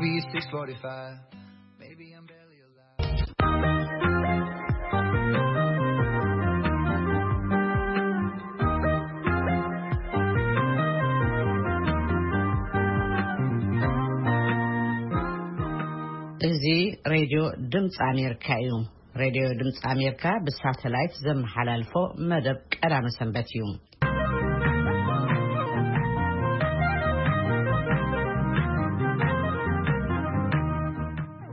Maybe six forty-five. Maybe I'm barely alive. እዚ ሬድዮ ድምፂ ኣሜሪካ እዩ። ሬድዮ ድምፂ ኣሜሪካ ብሳተላይት ዘመሓላልፎ መደብ ቀዳመ ሰንበት እዩ።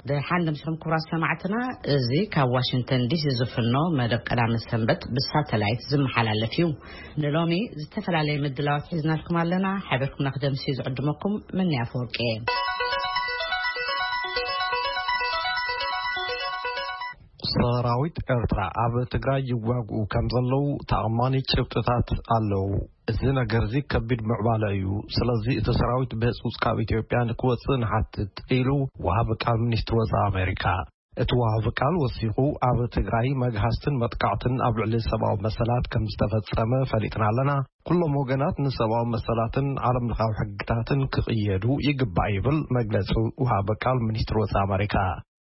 ደሓን ለምስኹም ክቡራት ሰማዕትና፣ እዚ ካብ ዋሽንግተን ዲሲ ዝፍኖ መደብ ቀዳመ ሰንበት ብሳተላይት ዝመሓላለፍ እዩ። ንሎሚ ዝተፈላለየ ምድላዋት ሒዝናልኩም ኣለና። ሓቢርኩምና ክደምሲ ዝዕድመኩም መኒ ኣፈወርቂ እየ። ሰራዊት ኤርትራ ኣብ ትግራይ ይዋግኡ ከም ዘለዉ ተኣማኒ ጭብጥታት ኣለዉ። እዚ ነገር እዚ ከቢድ ምዕባለ እዩ። ስለዚ እቲ ሰራዊት ብህጹጽ ካብ ኢትዮጵያ ንክወጽእ ንሓትት፣ ኢሉ ወሃቢ ቃል ሚኒስትሪ ወጻኢ ኣሜሪካ። እቲ ወሃቢ ቃል ወሲኹ፣ ኣብ ትግራይ መግሃስትን መጥቃዕትን ኣብ ልዕሊ ሰብኣዊ መሰላት ከም ዝተፈጸመ ፈሊጥና ኣለና። ኩሎም ወገናት ንሰብኣዊ መሰላትን ዓለም ለኻዊ ሕግታትን ክቕየዱ ይግባእ፣ ይብል መግለጺ ወሃቢ ቃል ሚኒስትሪ ወጻኢ ኣሜሪካ።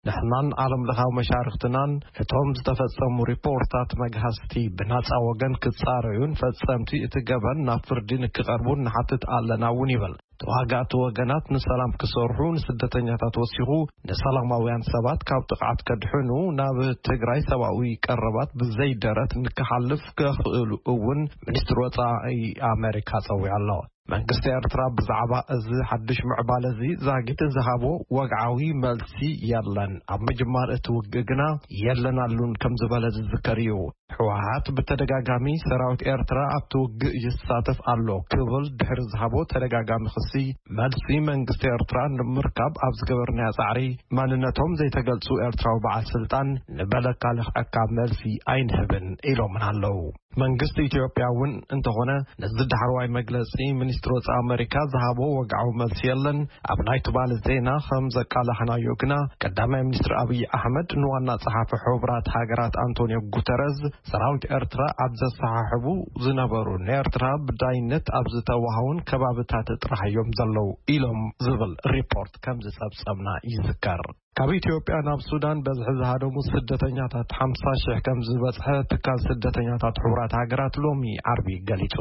ንሕናን ዓለም ለኻዊ መሻርኽትናን እቶም ዝተፈጸሙ ሪፖርታት መግሃስቲ ብናጻ ወገን ክጻረዩን ፈጸምቲ እቲ ገበን ናብ ፍርዲ ንክቐርቡን ንሓትት ኣለና እውን፣ ይብል። ተዋጋእቲ ወገናት ንሰላም ክሰርሑ፣ ንስደተኛታት ወሲኹ ንሰላማውያን ሰባት ካብ ጥቕዓት ከድሕኑ፣ ናብ ትግራይ ሰብኣዊ ቀረባት ብዘይ ደረት ንክሓልፍ ከኽእሉ እውን ሚኒስትሪ ወጻኢ ኣሜሪካ ጸዊዑ ኣሎ። መንግስቲ ኤርትራ ብዛዕባ እዚ ሓድሽ ምዕባለ እዚ ዛጊት ዝሃቦ ወግዓዊ መልሲ የለን። ኣብ ምጅማር እቲ ውግእ ግና የለናሉን ከም ዝበለ ዝዝከር እዩ። ህወሓት ብተደጋጋሚ ሰራዊት ኤርትራ ኣብቲ ውግእ ይሳተፍ ኣሎ ክብል ድሕሪ ዝሃቦ ተደጋጋሚ ክሲ፣ መልሲ መንግስቲ ኤርትራ ንምርካብ ኣብ ዝገበርናዮ ጻዕሪ፣ ማንነቶም ዘይተገልጹ ኤርትራዊ በዓል ስልጣን ንበለካ ልኽዐካ መልሲ ኣይንህብን ኢሎምና ኣለዉ። መንግስቲ ኢትዮጵያ እውን እንተኾነ ነዚ ዳሕረዋይ መግለጺ ሚኒስትሪ ወጻኢ ኣሜሪካ ዝሃቦ ወግዓዊ መልሲ የለን። ኣብ ናይ ትማሊ ዜና ከም ዘቃላሕናዮ ግና፣ ቀዳማይ ሚኒስትር ኣብይ ኣሕመድ ንዋና ጸሓፊ ሕቡራት ሃገራት ኣንቶኒዮ ጉተረዝ፣ ሰራዊት ኤርትራ ኣብ ዘሰሓሕቡ ዝነበሩ፣ ንኤርትራ ብዳይነት ኣብ ዝተዋሃውን ከባብታት ጥራሕ እዮም ዘለዉ ኢሎም ዝብል ሪፖርት ከም ዝጸብጸብና ይዝከር። ካብ ኢትዮጵያ ናብ ሱዳን በዝሒ ዝሃደሙ ስደተኛታት ሓምሳ ሽሕ ከም ዝበጽሐ ትካል ስደተኛታት ሕቡራት ሃገራት ሎሚ ዓርቢ ገሊጹ።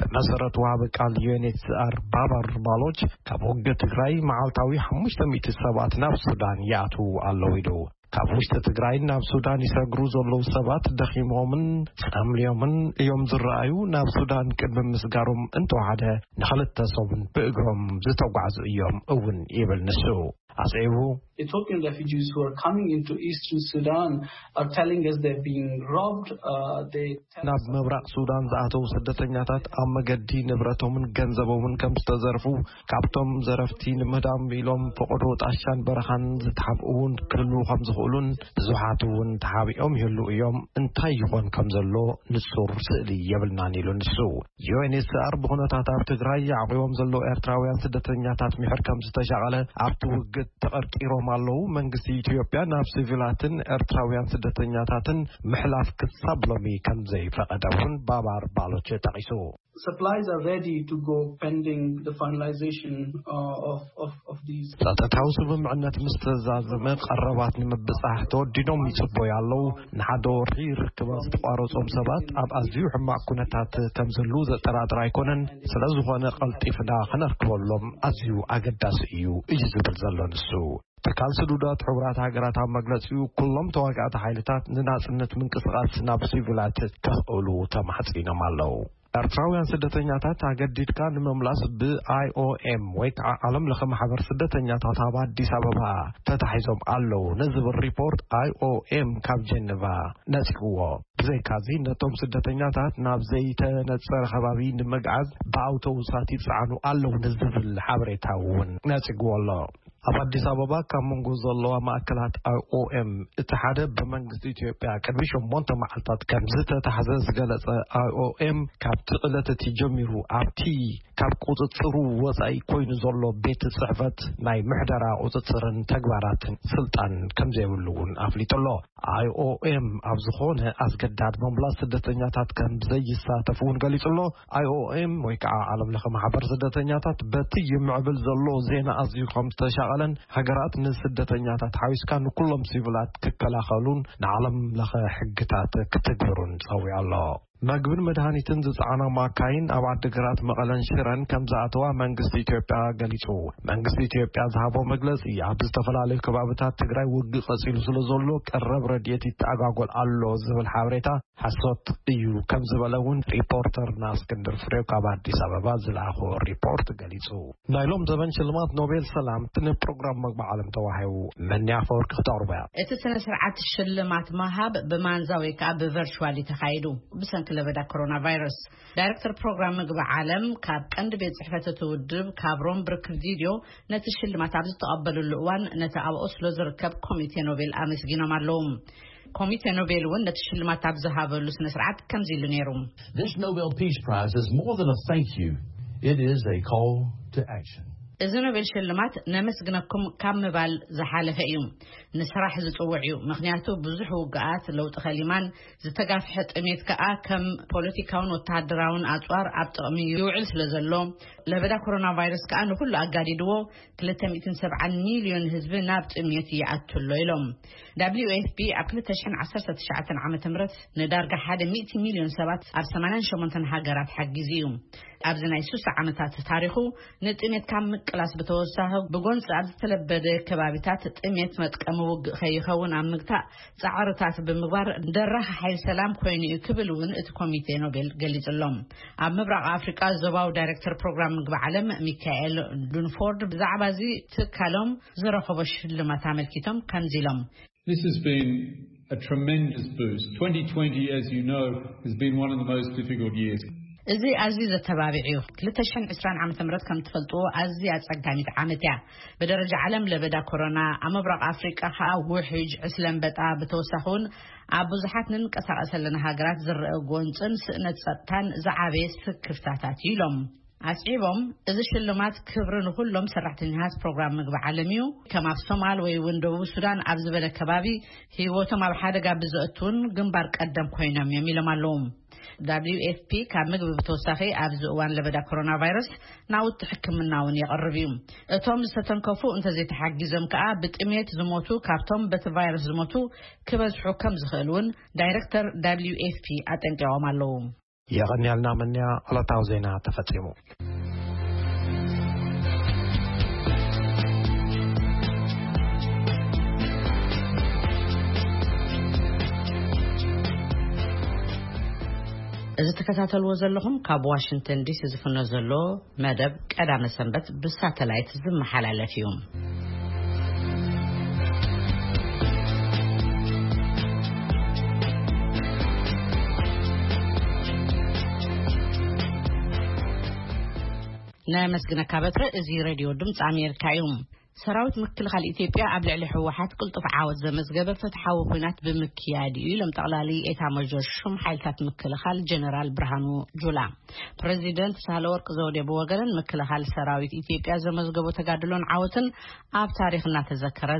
ብመሰረት ወሃቢ ቃል ዩ ኤን ኤች ሲ ኣር ባባር ባሎች፣ ካብ ውግእ ትግራይ መዓልታዊ ሓሙሽተ ሚእቲ ሰባት ናብ ሱዳን ይኣትዉ ኣለዉ ኢሉ። ካብ ውሽጢ ትግራይ ናብ ሱዳን ይሰግሩ ዘለዉ ሰባት ደኺሞምን ጸምልዮምን እዮም ዝረኣዩ። ናብ ሱዳን ቅድሚ ምስጋሮም እንተወሓደ ንኽልተ ሰሙን ብእግሮም ዝተጓዕዙ እዮም እውን ይብል ንሱ። ኣስዒቡ፣ Ethiopian refugees who are coming into eastern Sudan are telling us they're being robbed. Uh, they tell ናብ us ምብራቕ ሱዳን ዝኣተዉ ስደተኛታት ኣብ መገዲ ንብረቶምን ገንዘቦምን ከም ዝተዘርፉ፣ ካብቶም ዘረፍቲ ንምህዳም ኢሎም ፈቐዶ ጣሻን በረኻን ዝተሓብኡ እውን ክህልዉ ከም ዝኽእሉን ብዙሓት እውን ተሓቢኦም ይህልዉ እዮም። እንታይ ይኾን ከም ዘሎ ንጹር ስእሊ የብልናን ኢሉ ንሱ። ዩ ኤን ኤች ሲ ኣር ብኹነታት ኣብ ትግራይ ኣዕቂቦም ዘለዉ ኤርትራውያን ስደተኛታት ምሕር ከም ዝተሻቐለ፣ ኣብቲ ውግእ ተቐርቂሮም ኣለዉ። መንግስቲ ኢትዮጵያ ናብ ሲቪላትን ኤርትራውያን ስደተኛታትን ምሕላፍ ክሳብ ሎሚ ከም ዘይፈቐደ እውን ባባር ባሎች ጠቒሱ። Supplies are ready to go pending the finalization, uh, of, of, of these. ጸጥታዊ ስምምዕነት ምስ ተዛዘመ፣ ቀረባት ንምብጻሕ ተወዲኖም ይጽበዩ ኣለዉ። ንሓደ ወርሒ ርክባት ዝተቋረጾም ሰባት ኣብ ኣዝዩ ሕማቕ ኩነታት ከም ዘለዉ ዘጠራጥር ኣይኮነን። ስለ ዝኾነ፣ ቀልጢፍና ክነርክበሎም ኣዝዩ ኣገዳሲ እዩ፣ እዩ ዝብል ዘሎ ንሱ። ትካል ስዱዳት ሕቡራት ሃገራት ኣብ መግለጺኡ፣ ኩሎም ተዋጋእቲ ሓይልታት ንናጽነት ምንቅስቓስ ናብ ሲቪላት ከኽእሉ ተማሕጺኖም ኣለዉ። ኤርትራውያን ስደተኛታት ኣገዲድካ ንምምላስ ብ ኣይ ኦ ኤም ወይ ከዓ ዓለም ለኸ ማሕበር ስደተኛታት ኣብ ኣዲስ ኣበባ ተታሒዞም ኣለዉ ንዝብል ሪፖርት ኣይ ኦ ኤም ካብ ጀነቫ ነጺግዎ። ብዘይካዚ ነቶም ስደተኛታት ናብ ዘይተነጸረ ከባቢ ንምግዓዝ ብኣውቶቡሳት ይጸዓኑ ኣለዉ ንዝብል ሓበሬታ እውን ነጺግዎ ኣሎ። ኣብ ኣዲስ ኣበባ ካብ መንጎ ዘለዋ ማእከላት ኣይ ኦ ኤም እቲ ሓደ ብመንግስቲ ኢትዮጵያ ቅድሚ ሸሞንተ መዓልታት ከም ዝተታሕዘ ዝገለጸ ኣይ ኦ ኤም፣ ካብቲ ዕለት እቲ ጀሚሩ ኣብቲ ካብ ቁጽጽሩ ወጻኢ ኮይኑ ዘሎ ቤት ጽሕፈት ናይ ምሕደራ ቁጽጽርን ተግባራትን ስልጣን ከም ዘይብሉ እውን ኣፍሊጡ ኣሎ። ኣይ ኦ ኤም ኣብ ዝኾነ ኣስገዳድ ምምላስ ስደተኛታት ከም ዘይሳተፍ እውን ገሊጹ ኣሎ። ኣይ ኦ ኤም ወይ ከዓ ዓለም ለኸ ማሕበር ስደተኛታት በቲ ይምዕብል ዘሎ ዜና ኣዝዩ ከም ዝተሻ መቐለን ሃገራት ንስደተኛታት ሓዊስካ ንኩሎም ሲቪላት ክከላኸሉን ንዓለም ለኸ ሕግታት ክትግብሩን ጸዊዑ ኣሎ። መግብን መድሃኒትን ዝጸዓና ማካይን ኣብ ዓዲግራት፣ መቐለን ሽረን ከም ዝኣተዋ መንግስቲ ኢትዮጵያ ገሊጹ። መንግስቲ ኢትዮጵያ ዝሃቦ መግለጺ፣ ኣብ ዝተፈላለዩ ከባብታት ትግራይ ውግእ ቀጺሉ ስለ ዘሎ ቀረብ ረድኤት ይተኣጓጎል ኣሎ ዝብል ሓበሬታ ሓሶት እዩ ከም ዝበለ እውን ሪፖርተርና እስክንድር ፍሬው ካብ ኣዲስ ኣበባ ዝለኣኾ ሪፖርት ገሊጹ። ናይ ሎም ዘበን ሽልማት ኖቤል ሰላም ንፕሮግራም መግቢ ዓለም ተዋሂቡ። መኒ ኣፈወርቂ ክተቕርቦ እያ። እቲ ስነ ስርዓት ሽልማት ምሃብ ብማንዛ ወይ ከዓ ብቨርቹዋል እዩ ተኻይዱ። ብሰንኪ ለበዳ ኮሮና ቫይረስ፣ ዳይሬክተር ፕሮግራም ምግቢ ዓለም ካብ ቀንዲ ቤት ጽሕፈት እቲ ውድብ ካብ ሮም ብርክፍ ቪድዮ ነቲ ሽልማት ኣብ ዝተቐበሉሉ እዋን፣ ነቲ ኣብ ኦስሎ ዝርከብ ኮሚቴ ኖቤል ኣመስጊኖም ኣለዉ። ኮሚቴ ኖቤል እውን ነቲ ሽልማት ኣብ ዝሃበሉ ስነ ስርዓት ከምዚ ኢሉ ነይሩ። This Nobel Peace Prize is more than a thank you. It is a call to action. እዚ ኖቤል ሽልማት ነመስግነኩም ካብ ምባል ዝሓለፈ እዩ። ንስራሕ ዝጽውዕ እዩ። ምኽንያቱ ብዙሕ ውግኣት፣ ለውጢ ከሊማን ዝተጋፍሐ ጥሜት ከኣ ከም ፖለቲካውን ወተሃደራውን ኣጽዋር ኣብ ጥቕሚ ይውዕል ስለ ዘሎ፣ ለበዳ ኮሮና ቫይረስ ከኣ ንኹሉ ኣጋዲድዎ ክልተ ሚእትን ሰብዓን ሚልዮን ህዝቢ ናብ ጥሜት ይኣቱ ኣሎ ኢሎም። ደብሊው ኤፍ ፒ ኣብ ክልተ ሽሕን ዓሰርተ ትሽዓተን ዓመተ ምህረት ንዳርጋ ሓደ ሚእቲ ሚልዮን ሰባት ኣብ ሰማንያን ሸሞንተን ሃገራት ሓጊዙ እዩ። ኣብዚ ናይ ሱሳ ዓመታት ታሪኹ ንጥሜት ካብ ምቅላስ ብተወሳኺ፣ ብጎንፂ ኣብ ዝተለበደ ከባቢታት ጥሜት መጥቀሚ ውግእ ከይኸውን ኣብ ምግታእ ፃዕርታት ብምግባር ደራኺ ሓይል ሰላም ኮይኑ እዩ ክብል እውን እቲ ኮሚቴ ኖቤል ገሊጹሎም። ኣብ ምብራቕ ኣፍሪቃ ዞባዊ ዳይሬክተር ፕሮግራም ምግቢ ዓለም ሚካኤል ዱንፎርድ ብዛዕባ እዚ ትካሎም ዝረኸቦ ሽልማት ኣመልኪቶም ከምዚ ኢሎም። This has been a tremendous boost. Twenty twenty, as you know, has been one of the most difficult years. እዚ ኣዝዩ ዘተባብዕ እዩ። ክልተ ሽሕን ዕስራን ዓመተ ምህረት ከም ትፈልጥዎ ኣዝያ ኣጸጋሚት ዓመት እያ። ብደረጃ ዓለም ለበዳ ኮሮና፣ ኣብ ምብራቕ ኣፍሪቃ ከኣ ውሕጅ ዕስለ ኣንበጣ፣ ብተወሳኺ እውን ኣብ ብዙሓት ንንቀሳቐሰለን ሃገራት ዝረአ ጎንጽን ስእነት ጸጥታን ዝዓበየ ስክፍታታት እዩ ኢሎም። ኣስዒቦም፣ እዚ ሽልማት ክብሪ ንኹሎም ሰራሕተኛታት ፕሮግራም ምግቢ ዓለም እዩ። ከም ኣብ ሶማል ወይ እውን ደቡብ ሱዳን ኣብ ዝበለ ከባቢ ህይወቶም ኣብ ሓደጋ ብዘእቱን ግንባር ቀደም ኮይኖም እዮም ኢሎም ኣለዉ። ደብሊው ኤፍ ፒ ካብ ምግቢ ብተወሳኺ ኣብዚ እዋን ለበዳ ኮሮና ቫይረስ ናውቲ ሕክምና እውን የቕርብ እዩ። እቶም ዝተተንከፉ እንተዘይተሓጊዞም ከኣ ብጥሜት ዝሞቱ ካብቶም በቲ ቫይረስ ዝሞቱ ክበዝሑ ከም ዝኽእል እውን ዳይሬክተር ደብሊው ኤፍ ፒ ኣጠንቂቖም ኣለዉ። የቐንያልና መንያ። ዕለታዊ ዜና ተፈጺሙ። እዚ ትከታተልዎ ዘለኹም ካብ ዋሽንግተን ዲሲ ዝፍኖ ዘሎ መደብ ቀዳመ ሰንበት ብሳተላይት ዝመሓላለፍ እዩ። ነመስግነካ በትረ። እዚ ሬድዮ ድምፂ ኣሜሪካ እዩ። ሰራዊት ምክልኻል ኢትዮጵያ ኣብ ልዕሊ ህወሓት ቅልጡፍ ዓወት ዘመዝገበ ፍትሓዊ ኲናት ብምክያድ እዩ ኢሎም ጠቕላሊ ኤታ ማዦር ሹም ሓይልታት ምክልኻል ጀነራል ብርሃኑ ጁላ። ፕሬዚደንት ሳህለወርቅ ዘውዴ ብወገነን ምክልኻል ሰራዊት ኢትዮጵያ ዘመዝገቦ ተጋድሎን ዓወትን ኣብ ታሪኽ እናተዘከረ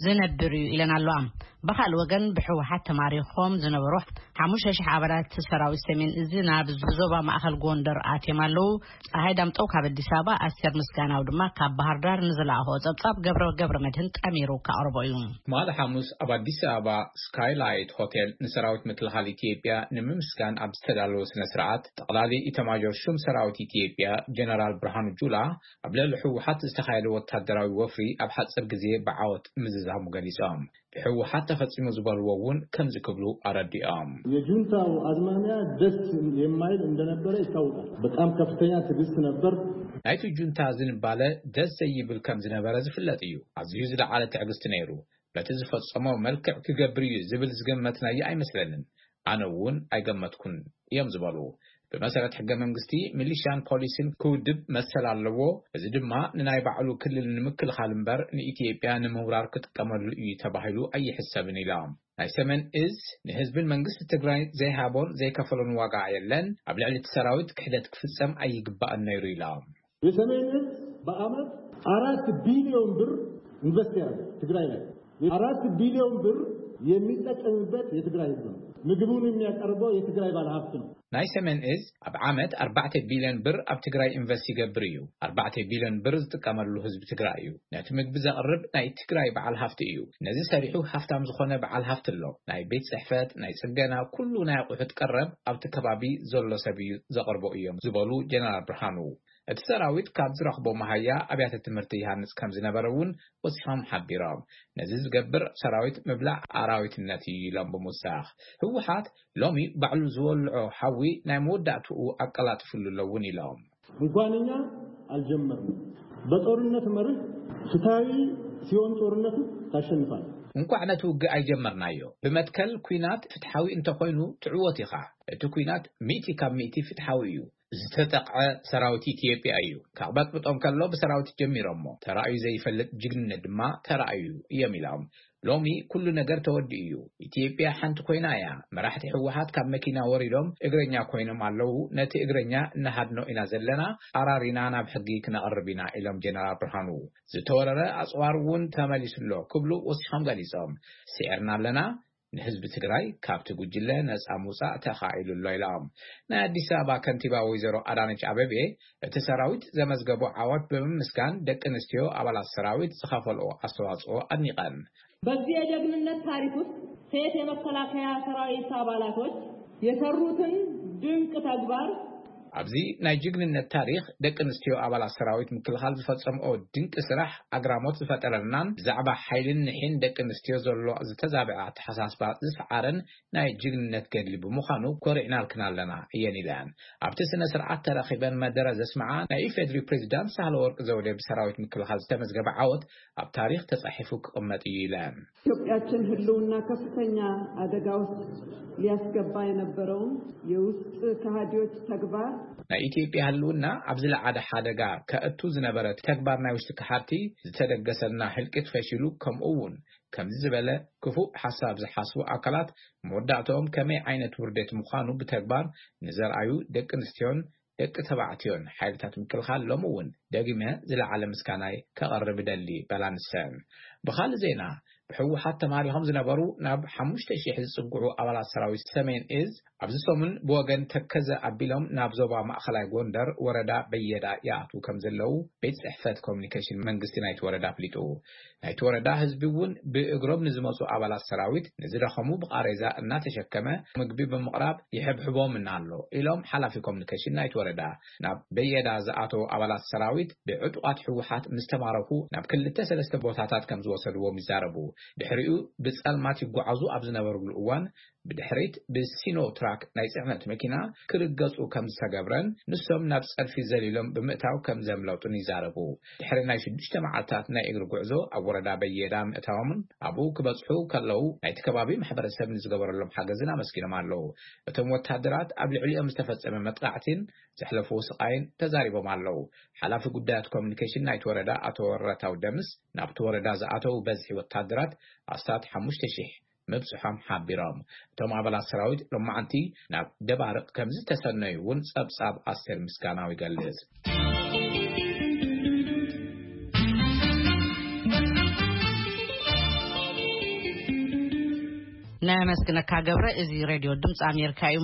ዝነብር እዩ ኢለን ኣለዋ። ብኻልእ ወገን ብህወሓት ተማሪኾም ዝነበሩ ሓሙሽተ ሽሕ ኣባላት ሰራዊት ሰሜን እዚ ናብ ዞባ ማእኸል ጎንደር ኣትዮም ኣለዉ። ፀሃይ ዳምጠው ካብ ኣዲስ ኣበባ፣ ኣስቴር ምስጋናው ድማ ካብ ባህር ዳር ንዝለኣኾ ጸብጻብ ገብረ ገብረ መድህን ጠሚሩ ከቕርቦ እዩ። ትማሊ ሓሙስ ኣብ ኣዲስ ኣበባ ስካይላይት ሆቴል ንሰራዊት ምክልኻል ኢትዮጵያ ንምምስጋን ኣብ ዝተዳለወ ስነ ስርዓት፣ ጠቕላሊ ኢታማዦር ሹም ሰራዊት ኢትዮጵያ ጀነራል ብርሃኑ ጁላ ኣብ ልዕሊ ህወሓት ዝተኻየደ ወታደራዊ ወፍሪ ኣብ ሓፂር ግዜ ብዓወት ምዝዛሙ ገሊጾም። ብህወሓት ተፈጺሙ ዝበልዎ እውን ከምዚ ክብሉ ኣረዲኦም። የጁንታው አዝማሚያ ደስ የማይል እንደነበረ ይታወቃል። በጣም ከፍተኛ ትዕግስት ነበር። ናይቲ ጁንታ ዝንባለ ደስ ዘይብል ከም ዝነበረ ዝፍለጥ እዩ። ኣዝዩ ዝለዓለ ትዕግስቲ ነይሩ። ነቲ ዝፈጸሞ መልክዕ ክገብር እዩ ዝብል ዝገመትናዮ ኣይመስለንን። ኣነ እውን ኣይገመትኩን እዮም ዝበሉ። ብመሰረት ሕገ መንግስቲ፣ ሚሊሻን ፖሊስን ክውድብ መሰል ኣለዎ። እዚ ድማ ንናይ ባዕሉ ክልል ንምክልኻል እምበር ንኢትዮጵያ ንምውራር ክጥቀመሉ እዩ ተባሂሉ ኣይሕሰብን ኢሎም። ናይ ሰሜን እዝ ንህዝብን መንግስቲ ትግራይ ዘይሃቦን ዘይከፈሎን ዋጋ የለን። ኣብ ልዕሊ እቲ ሰራዊት ክሕደት ክፍጸም ኣይግባእን ነይሩ ኢሎም። የሰሜን እዝ በአመት አራት ቢሊዮን ብር ኢንቨስት ያደርጋል ትግራይ ላይ። አራት ቢሊዮን ብር የሚጠቀምበት የትግራይ ህዝብ ነው። ምግቡን የሚያቀርበው የትግራይ ባለሀብት ነው። ናይ ሰሜን እዝ ኣብ ዓመት ኣርባዕተ ቢልዮን ብር ኣብ ትግራይ ኢንቨስት ይገብር እዩ። ኣርባዕተ ቢልዮን ብር ዝጥቀመሉ ህዝቢ ትግራይ እዩ። ነቲ ምግቢ ዘቕርብ ናይ ትግራይ በዓል ሃፍቲ እዩ። ነዚ ሰሪሑ ሃፍታም ዝኾነ በዓል ሃፍቲ ኣሎ። ናይ ቤት ጽሕፈት፣ ናይ ጽገና፣ ኩሉ ናይ ኣቑሑት ቀረብ ኣብቲ ከባቢ ዘሎ ሰብ እዩ ዘቕርቦ እዮም ዝበሉ ጀነራል ብርሃኑ፣ እቲ ሰራዊት ካብ ዝረኽቦ መሃያ ኣብያተ ትምህርቲ ይሃንጽ ከም ዝነበረ እውን ወሲኾም ሓቢሮም። ነዚ ዝገብር ሰራዊት ምብላዕ ኣራዊትነት እዩ ኢሎም ብምውሳኽ፣ ህወሓት ሎሚ ባዕሉ ዝወልዖ ሓዊ ናይ መወዳእትኡ ኣቀላጥፍሉ ኣለውን ኢሎም። እንኳን እኛ አልጀመርንም። በጦርነት መርህ ፍትሐዊ ሲሆን ጦርነቱ ታሸንፋል። እንኳዕ ነቲ ውግእ ኣይጀመርናዮ። ብመትከል ኲናት ፍትሓዊ እንተኾይኑ ትዕወት ኢኻ። እቲ ኲናት ሚእቲ ካብ ሚእቲ ፍትሓዊ እዩ። ዝተጠቕዐ ሰራዊት ኢትዮጵያ እዩ። ከቕበጥብጦም ከሎ ብሰራዊት ጀሚሮሞ። ተራእዩ ዘይፈልጥ ጅግንነት ድማ ተራእዩ እዮም ኢሎም። ሎሚ ኩሉ ነገር ተወዲኡ እዩ። ኢትዮጵያ ሓንቲ ኮይና እያ። መራሕቲ ህወሓት ካብ መኪና ወሪዶም እግረኛ ኮይኖም ኣለዉ። ነቲ እግረኛ እናሃድኖ ኢና ዘለና። ኣራሪና ናብ ሕጊ ክነቕርብ ኢና ኢሎም ጀነራል ብርሃኑ። ዝተወረረ ኣጽዋር እውን ተመሊሱ ኣሎ ክብሉ ወሲኾም ገሊጾም። ስዒርና ኣለና። ንህዝቢ ትግራይ ካብቲ ጉጅለ ነጻ ምውጻእ ተኻኢሉ ኣሎ ኢሎም። ናይ ኣዲስ ኣበባ ከንቲባ ወይዘሮ ኣዳነች ኣበቤ እቲ ሰራዊት ዘመዝገቦ ዓወት ብምምስጋን ደቂ ኣንስትዮ ኣባላት ሰራዊት ዝኸፈልኦ ኣስተዋጽኦ ኣድኒቐን። በዚህ የጀግንነት ታሪክ ውስጥ ሴት የመከላከያ ሰራዊት አባላቶች የሰሩትን ድንቅ ተግባር ኣብዚ ናይ ጅግንነት ታሪኽ ደቂ ኣንስትዮ ኣባላት ሰራዊት ምክልኻል ዝፈጸምኦ ድንቂ ስራሕ ኣግራሞት ዝፈጠረልናን ብዛዕባ ሓይልን ንሒን ደቂ ኣንስትዮ ዘሎ ዝተዛብዐ ኣተሓሳስባ ዝሰዓረን ናይ ጅግንነት ገድሊ ብምዃኑ ኮሪዕናልክን ኣለና እየን ኢለን። ኣብቲ ስነ ስርዓት ተረኺበን መደረ ዘስምዓ ናይ ኢፌድሪ ፕሬዚዳንት ሳህለ ወርቅ ዘውዴ ብሰራዊት ምክልኻል ዝተመዝገበ ዓወት ኣብ ታሪኽ ተጻሒፉ ክቕመጥ እዩ ኢለን። ኢትዮጵያችን ህልውና ከፍተኛ አደጋ ውስጥ ሊያስገባ የነበረውን የውስጥ ከሃዲዎች ተግባር ናይ ኢትዮጵያ ህልውና ኣብ ዝለዓለ ሓደጋ ከእቱ ዝነበረ ተግባር ናይ ውሽጢ ከሓድቲ ዝተደገሰልና ህልቂት ፈሺሉ፣ ከምኡ እውን ከምዚ ዝበለ ክፉእ ሓሳብ ዝሓስቡ ኣካላት መወዳእትኦም ከመይ ዓይነት ውርደት ምዃኑ ብተግባር ንዘርኣዩ ደቂ ኣንስትዮን ደቂ ተባዕትዮን ሓይልታት ምክልኻል ሎሚ እውን ደጊመ ዝለዓለ ምስጋናይ ከቐርብ እደሊ በላ ንሰን። ብኻልእ ዜና ብህወሓት ተማሪኾም ዝነበሩ ናብ ሓሙሽተ ሺሕ ዝጽግዑ ኣባላት ሰራዊት ሰሜን እዝ ኣብዚ ሰሙን ብወገን ተከዘ ኣቢሎም ናብ ዞባ ማእኸላይ ጎንደር ወረዳ በየዳ ይኣትዉ ከም ዘለዉ ቤት ጽሕፈት ኮሚኒኬሽን መንግስቲ ናይቲ ወረዳ ኣፍሊጡ። ናይቲ ወረዳ ህዝቢ እውን ብእግሮም ንዝመፁ ኣባላት ሰራዊት ንዝደኸሙ ብቃሬዛ እናተሸከመ ምግቢ ብምቕራብ ይሕብሕቦም እና ኣሎ ኢሎም ሓላፊ ኮሚኒኬሽን ናይቲ ወረዳ። ናብ በየዳ ዝኣተዉ ኣባላት ሰራዊት ብዕጡቓት ህወሓት ምስ ተማረኹ ናብ ክልተ ሰለስተ ቦታታት ከም ዝወሰድዎም ይዛረቡ። ድሕሪኡ ብፀልማት ይጓዓዙ ኣብ ዝነበርሉ እዋን ብድሕሪት ብሲኖ ትራክ ናይ ፅዕነት መኪና ክርገፁ ከም ዝተገብረን ንሶም ናብ ፀድፊ ዘሊሎም ብምእታው ከም ዘምለጡን ይዛረቡ። ድሕሪ ናይ ሽዱሽተ መዓልታት ናይ እግሪ ጉዕዞ ኣብ ወረዳ በየዳ ምእታዎምን ኣብኡ ክበፅሑ ከለዉ ናይቲ ከባቢ ማሕበረሰብ ንዝገበረሎም ሓገዝን ኣመስጊኖም ኣለዉ። እቶም ወታደራት ኣብ ልዕሊኦም ዝተፈፀመ መጥቃዕቲን ዘሕለፍዎ ስቓይን ተዛሪቦም ኣለዉ። ሓላፊ ጉዳያት ኮሚኒኬሽን ናይቲ ወረዳ ኣቶ ወረታው ደምስ ናብቲ ወረዳ ዝኣተዉ በዝሒ ወታደራት ኣስታት ሓሙሽተ ሺሕ ምብፅሖም ሓቢሮም። እቶም ኣባላት ሰራዊት ሎማዓንቲ ናብ ደባርቕ ከም ዝተሰነዩ እውን ጸብጻብ ኣስቴር ምስጋናው ይገልጽ። ነመስግነካ ገብረ። እዚ ሬድዮ ድምፂ ኣሜሪካ እዩ።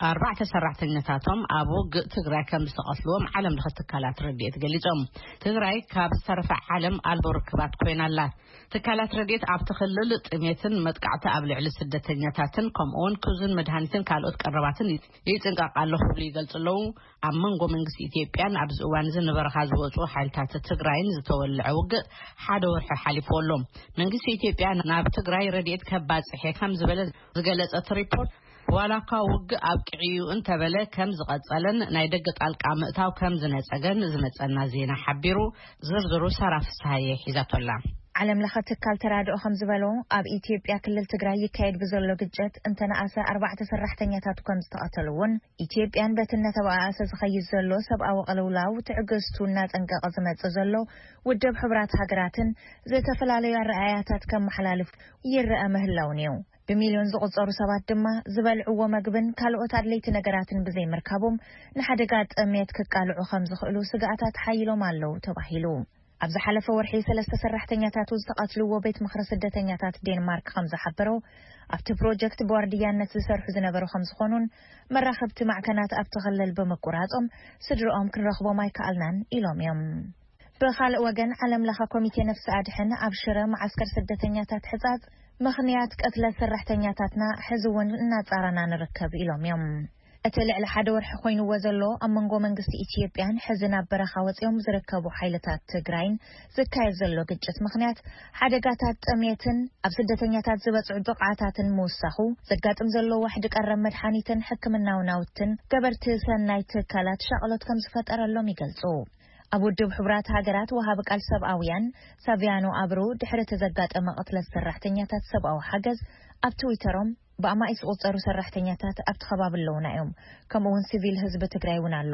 ኣርባዕተ ሰራሕተኛታቶም ኣብ ውግእ ትግራይ ከም ዝተቐትልዎም ዓለም ለኸ ትካላት ረድኤት ገሊጾም። ትግራይ ካብ ዝተረፈ ዓለም ኣልቦ ርክባት ኮይና ኣላ። ትካላት ረድኤት ኣብቲ ክልል ጥሜትን መጥቃዕቲ ኣብ ልዕሊ ስደተኛታትን ከምኡውን ክብዝን መድሃኒትን ካልኦት ቀረባትን ይጥንቀቕ ኣሎ ክብሉ ይገልጹ ኣለዉ። ኣብ መንጎ መንግስቲ ኢትዮጵያን ኣብዚ እዋን እዚ ንበረኻ ዝወጹ ሓይልታት ትግራይን ዝተወልዐ ውግእ ሓደ ወርሒ ሓሊፍዎ ኣሎ። መንግስቲ ኢትዮጵያ ናብ ትግራይ ረድኤት ከባጽሕ እየ ከም ዝበለ ዝገለጸ እቲ ሪፖርት ዋላ እኳ ውግእ ኣብቂዑ እዩ እንተበለ ከም ዝቐጸለን ናይ ደገ ጣልቃ ምእታው ከም ዝነጸገን ዝመጸና ዜና ሓቢሩ። ዝርዝሩ ሳራ ፍስሃየ ሒዛቶላ። ዓለም ለኸ ትካል ተራድኦ ከም ዝበሎ ኣብ ኢትዮጵያ ክልል ትግራይ ይካየድ ብዘሎ ግጭት እንተነኣሰ ኣርባዕተ ሰራሕተኛታት ከም ዝተቐተልዎን ኢትዮጵያን በቲ እናተባኣሰ ዝኸይድ ዘሎ ሰብኣዊ ቅልውላው ትዕግስቱ እናጸንቀቐ ዝመጽእ ዘሎ ውድብ ሕቡራት ሃገራትን ዝተፈላለዩ ኣረኣያታት ከመሓላልፍ ይረኣ ምህላውን እዩ። ብሚልዮን ዝቑጸሩ ሰባት ድማ ዝበልዕዎ መግብን ካልኦት ኣድለይቲ ነገራትን ብዘይምርካቦም ንሓደጋ ጥሜት ክቃልዑ ከም ዝኽእሉ ስግኣታት ሓይሎም ኣለዉ ተባሂሉ። ኣብ ዝሓለፈ ወርሒ ሰለስተ ሰራሕተኛታቱ ዝተቐትልዎ ቤት ምኽሪ ስደተኛታት ዴንማርክ ከም ዝሓበሮ፣ ኣብቲ ፕሮጀክት ብዋርድያነት ዝሰርሑ ዝነበሩ ከም ዝኾኑን መራኸብቲ ማዕከናት ኣብቲ ክልል ብምቁራጾም ስድርኦም ክንረኽቦም ኣይከኣልናን ኢሎም እዮም። ብኻልእ ወገን፣ ዓለም ለኸ ኮሚቴ ነፍሲ ኣድሕን ኣብ ሽረ መዓስከር ስደተኛታት ሕጻጽ ምኽንያት ቅትለት ሰራሕተኛታትና ሕዚ እውን እናጻረና ንርከብ ኢሎም እዮም። እቲ ልዕሊ ሓደ ወርሒ ኮይንዎ ዘሎ ኣብ መንጎ መንግስቲ ኢትዮጵያን ሕዚ ናብ በረኻ ወጺኦም ዝርከቡ ሓይልታት ትግራይን ዝካየድ ዘሎ ግጭት ምኽንያት ሓደጋታት ጥሜትን ኣብ ስደተኛታት ዝበጽዑ ጥቕዓታትን ምውሳኹ፣ ዘጋጥም ዘሎ ዋሕዲ ቀረብ መድሓኒትን ሕክምናዊ ናውትን ገበርቲ ሰናይ ትካላት ሻቕሎት ከም ዝፈጠረሎም ይገልጹ። ኣብ ውድብ ሕቡራት ሃገራት ወሃቢ ቃል ሰብኣውያን ሳቪያኖ ኣብሩ ድሕሪ እቲ ዘጋጠመ ቅትለት ሰራሕተኛታት ሰብኣዊ ሓገዝ ኣብ ትዊተሮም ብኣማኢት ዝቑጸሩ ሰራሕተኛታት ኣብቲ ከባቢ ኣለዉና እዮም፣ ከምኡ እውን ሲቪል ህዝቢ ትግራይ እውን ኣሎ።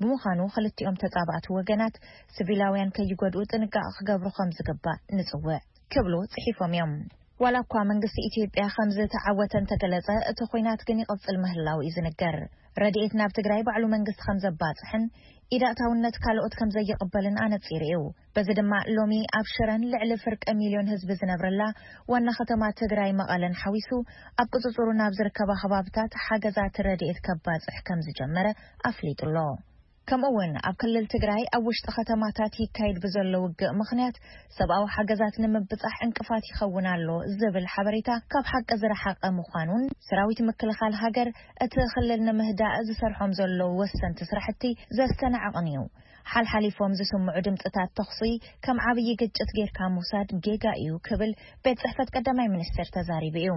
ብምዃኑ ክልቲኦም ተጻባእቲ ወገናት ሲቪላውያን ከይጎድኡ ጥንቃቐ ክገብሩ ከም ዝግባእ ንጽውዕ ክብሉ ጽሒፎም እዮም። ዋላ እኳ መንግስቲ ኢትዮጵያ ከም ዝተዓወተ እንተገለጸ፣ እቲ ኲናት ግን ይቕጽል ምህላው እዩ ዝንገር። ረድኤት ናብ ትግራይ ባዕሉ መንግስቲ ከም ዘባጽሕን ኢድ ኣእታውነት ካልኦት ከም ዘይቕበልን ኣነጺሩ እዩ። በዚ ድማ ሎሚ ኣብ ሽረን ልዕሊ ፍርቂ ሚልዮን ህዝቢ ዝነብረላ ዋና ከተማ ትግራይ መቐለን ሓዊሱ ኣብ ቁጽጽሩ ናብ ዝርከባ ከባብታት ሓገዛት ረድኤት ከባጽሕ ከም ዝጀመረ ኣፍሊጡ ኣሎ። ከምኡ እውን ኣብ ክልል ትግራይ ኣብ ውሽጢ ከተማታት ይካየድ ብዘሎ ውግእ ምኽንያት ሰብኣዊ ሓገዛት ንምብጻሕ ዕንቅፋት ይኸውን ኣሎ ዝብል ሓበሬታ ካብ ሓቂ ዝረሓቐ ምዃኑን ሰራዊት ምክልኻል ሃገር እቲ ክልል ንምህዳእ ዝሰርሖም ዘለዉ ወሰንቲ ስራሕቲ ዘስተናዕቕን እዩ። ሓልሓሊፎም ዝስምዑ ድምፅታት ተኹሲ ከም ዓብዪ ግጭት ጌርካ ምውሳድ ጌጋ እዩ ክብል ቤት ጽሕፈት ቀዳማይ ሚኒስትር ተዛሪቡ እዩ።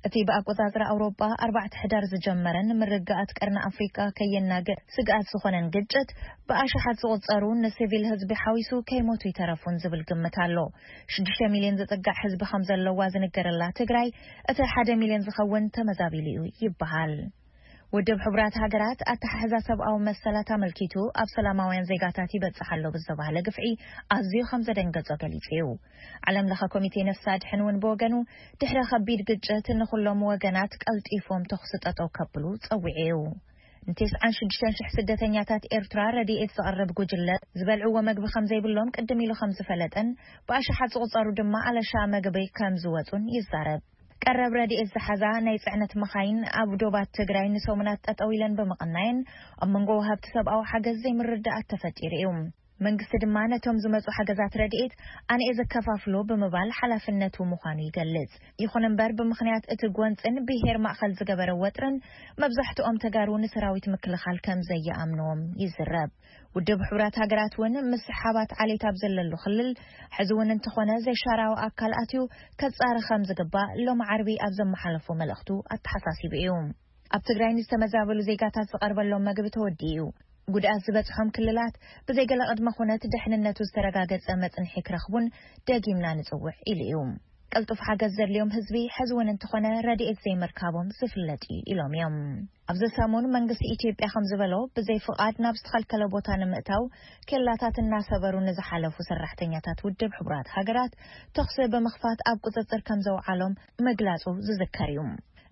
እቲ ብኣቆጻጽራ ኣውሮጳ ኣርባዕተ ሕዳር ዝጀመረን ምርግኣት ቀርኒ ኣፍሪቃ ከየናግዕ ስግኣት ዝኾነን ግጭት ብኣሽሓት ዝቑጸሩ ንሲቪል ህዝቢ ሓዊሱ ከይሞቱ ይተረፉን ዝብል ግምት ኣሎ። ሽዱሽተ ሚልዮን ዝጥጋዕ ህዝቢ ከም ዘለዋ ዝንገረላ ትግራይ እቲ ሓደ ሚልዮን ዝኸውን ተመዛቢሉ እዩ ይበሃል። ውድብ ሕቡራት ሃገራት ኣተሓሕዛ ሰብኣዊ መሰላት ኣመልኪቱ ኣብ ሰላማውያን ዜጋታት ይበጽሕ ኣሎ ብዝተባህለ ግፍዒ ኣዝዩ ከም ዘደንገጾ ገሊጹ እዩ። ዓለም ለኸ ኮሚቴ ነፍሲ ኣድሕን እውን ብወገኑ ድሕሪ ከቢድ ግጭት ንኹሎም ወገናት ቀልጢፎም ተኹሲ ጠጠው ከብሉ ጸዊዑ እዩ። ንተስዓን ሽዱሽተን ሽሕ ስደተኛታት ኤርትራ ረድኤት ዘቕርብ ጉጅለ ዝበልዕዎ መግቢ ከም ዘይብሎም ቅድም ኢሉ ከም ዝፈለጠን ብኣሽሓት ዝቑጸሩ ድማ ኣለሻ መግቢ ከም ዝወጹን ይዛረብ። ቀረብ ረድኤት ዝሓዛ ናይ ጽዕነት መኻይን ኣብ ዶባት ትግራይ ንሰሙናት ጠጠው ኢለን ብምቕናየን ኣብ መንጎ ወሃብቲ ሰብኣዊ ሓገዝ ዘይምርድኣት ተፈጢሩ እዩ። መንግስቲ ድማ ነቶም ዝመጹ ሓገዛት ረድኤት ኣነ እየ ዘከፋፍሎ ብምባል ሓላፍነቱ ምዃኑ ይገልጽ። ይኹን እምበር ብምኽንያት እቲ ጎንጽን ብሄር ማእኸል ዝገበረ ወጥርን መብዛሕትኦም ተጋሩ ንሰራዊት ምክልኻል ከም ዘየኣምንዎም ይዝረብ። ውድብ ሕቡራት ሃገራት እውን ምስ ሓባት ዓሌት ኣብ ዘለሉ ክልል ሕዚ እውን እንተኾነ ዘይሻራዊ ኣካል ኣትዩ ከጻሪ ከም ዝግባእ ሎም ዓርቢ ኣብ ዘመሓለፎ መልእኽቱ ኣተሓሳሲቡ እዩ። ኣብ ትግራይ ንዝተመዛበሉ ዜጋታት ዝቐርበሎም መግቢ ተወዲኡ እዩ። ጉድኣት ዝበጽሖም ክልላት ብዘይገለ ቅድመ ኩነት ደሕንነቱ ዝተረጋገጸ መጽንሒ ክረኽቡን ደጊምና ንጽውዕ ኢሉ እዩ። ቅልጡፍ ሓገዝ ዘድልዮም ህዝቢ ሕዚ እውን እንተኾነ ረድኤት ዘይምርካቦም ዝፍለጥ እዩ ኢሎም እዮም። ኣብዚ ሰሙን መንግስቲ ኢትዮጵያ ከም ዝበሎ ብዘይ ፍቓድ ናብ ዝተኸልከለ ቦታ ንምእታው ኬላታት እናሰበሩ ንዝሓለፉ ሰራሕተኛታት ውድብ ሕቡራት ሃገራት ተኹሲ ብምኽፋት ኣብ ቁጽጽር ከም ዘውዓሎም ምግላጹ ዝዝከር እዩ።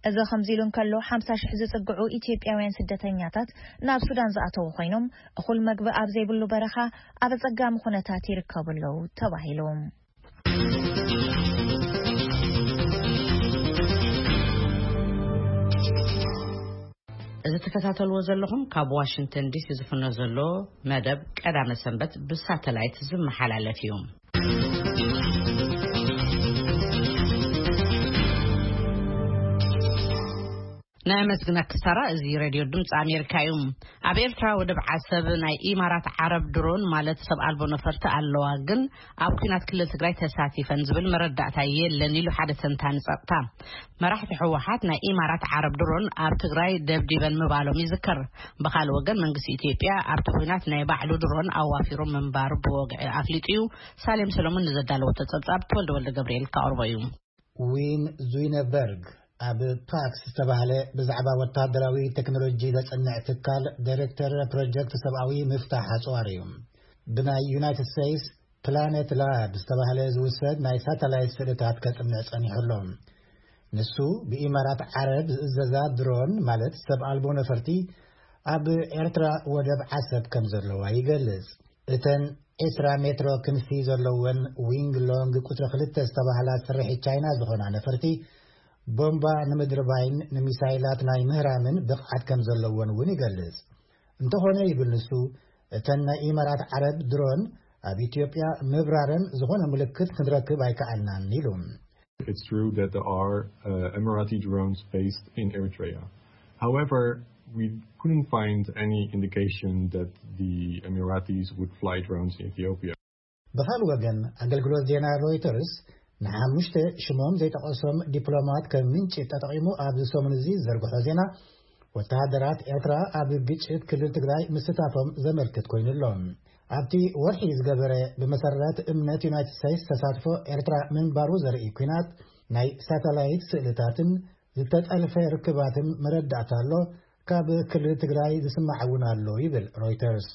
እዚ ከምዚ ኢሉ እንከሎ ሓምሳ ሽሕ ዝጽግዑ ኢትዮጵያውያን ስደተኛታት ናብ ሱዳን ዝኣተዉ ኮይኖም እኹል መግቢ ኣብ ዘይብሉ በረኻ ኣብ ኣጸጋሚ ኩነታት ይርከቡ ኣለዉ ተባሂሉ። እዚ ትከታተልዎ ዘለኹም ካብ ዋሽንግተን ዲሲ ዝፍኖ ዘሎ መደብ ቀዳመ ሰንበት ብሳተላይት ዝመሓላለፍ እዩ። ናይ መስግና ክሳራ፣ እዚ ሬድዮ ድምፂ ኣሜሪካ እዩ። ኣብ ኤርትራ ወደብ ዓሰብ ናይ ኢማራት ዓረብ ድሮን ማለት ሰብ ኣልቦ ነፈርቲ ኣለዋ፣ ግን ኣብ ኲናት ክልል ትግራይ ተሳቲፈን ዝብል መረዳእታ የለን ኢሉ ሓደ ተንታኒ ጸጥታ። መራሕቲ ህወሓት ናይ ኢማራት ዓረብ ድሮን ኣብ ትግራይ ደብዲበን ምባሎም ይዝከር። ብኻልእ ወገን መንግስቲ ኢትዮጵያ ኣብቲ ኲናት ናይ ባዕሉ ድሮን ኣዋፊሩ ምንባሩ ብወግዒ ኣፍሊጡ እዩ። ሳሌም ሰሎሞን ንዘዳለወቶ ጸብጻብ ተወልደ ወልደ ገብርኤል ከቕርቦ እዩ። ዊን ዙይነበርግ ኣብ ፓክስ ዝተባህለ ብዛዕባ ወታደራዊ ቴክኖሎጂ ዘጽንዕ ትካል ዳይሬክተር ፕሮጀክት ሰብኣዊ ምፍታሕ ኣጽዋር እዩ። ብናይ ዩናይትድ ስቴትስ ፕላኔት ላብ ዝተባህለ ዝውሰድ ናይ ሳተላይት ስእልታት ከጽንዕ ጸኒሑ ኣሎ። ንሱ ብኢማራት ዓረብ ዝእዘዛ ድሮን ማለት ሰብ ኣልቦ ነፈርቲ ኣብ ኤርትራ ወደብ ዓሰብ ከም ዘለዋ ይገልጽ። እተን ዒስራ ሜትሮ ክንፊ ዘለወን ዊንግ ሎንግ ቁጽሪ ክልተ ዝተባህላ ስርሒት ቻይና ዝኾና ነፈርቲ፣ ቦምባ ንምድርባይን ንሚሳይላት ናይ ምህራምን ብቕዓት ከም ዘለወን እውን ይገልጽ። እንተኾነ ይብል ንሱ፣ እተን ናይ ኢማራት ዓረብ ድሮን ኣብ ኢትዮጵያ ምብራረን ዝኾነ ምልክት ክንረክብ ኣይከኣልናን ኢሉ። It's true that there are uh, Emirati drones based in Eritrea. However, we couldn't find any indication that the Emiratis would fly drones in Ethiopia. ብኻልእ ወገን፣ ኣገልግሎት ዜና ሮይተርስ ንሓሙሽተ ሽሞም ዘይጠቐሶም ዲፕሎማት ከም ምንጪ ተጠቒሙ ኣብዚ ሰሙን እዚ ዝዘርግሖ ዜና፣ ወተሃደራት ኤርትራ ኣብ ግጭት ክልል ትግራይ ምስታፎም ዘመልክት ኮይኑ ኣሎ። ኣብቲ ወርሒ ዝገበረ፣ ብመሰረት እምነት ዩናይትድ ስቴትስ ተሳትፎ ኤርትራ ምንባሩ ዘርኢ ኲናት ናይ ሳተላይት ስእልታትን ዝተጠልፈ ርክባትን መረዳእታ ኣሎ፣ ካብ ክልል ትግራይ ዝስማዕ እውን ኣሎ ይብል ሮይተርስ።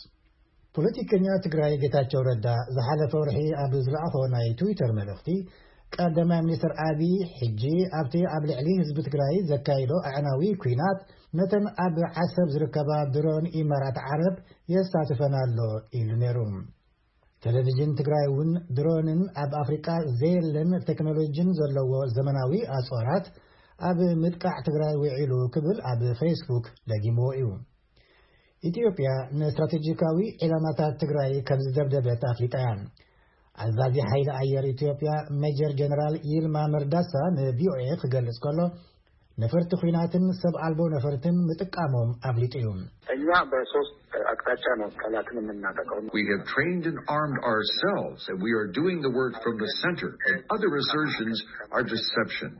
ፖለቲከኛ ትግራይ ጌታቸው ረዳ ዝሓለፈ ወርሒ ኣብ ዝለኣኾ ናይ ትዊተር መልእኽቲ፣ ቀዳማይ ሚኒስትር ኣቢይ ሕጂ ኣብቲ ኣብ ልዕሊ ህዝቢ ትግራይ ዘካይዶ ኣዕናዊ ኲናት ነተን ኣብ ዓሰብ ዝርከባ ድሮን ኢማራት ዓረብ የሳትፈን ኣሎ ኢሉ ነይሩ። ቴሌቪዥን ትግራይ እውን ድሮንን ኣብ ኣፍሪቃ ዘየለን ቴክኖሎጂን ዘለዎ ዘመናዊ ኣጽዋራት ኣብ ምጥቃዕ ትግራይ ውዒሉ ክብል ኣብ ፌስቡክ ደጊምዎ እዩ። ኢትዮጵያ ንስትራቴጂካዊ ዒላማታት ትግራይ ከም ዝደብደበት ኣፍሊጣ እያ። ኣዛዚ ሓይሊ ኣየር ኢትዮጵያ ሜጀር ጀነራል ይልማ መርዳሳ ንቪኦኤ ክገልጽ ከሎ፣ ነፈርቲ ኲናትን ሰብ ኣልቦ ነፈርትን ምጥቃሞም ኣፍሊጡ እዩ። እኛ በሶስት አቅጣጫ ነው ጠላትን የምናጠቃው። We have trained and armed ourselves, and we are doing the work from the center, and other assertions are deception.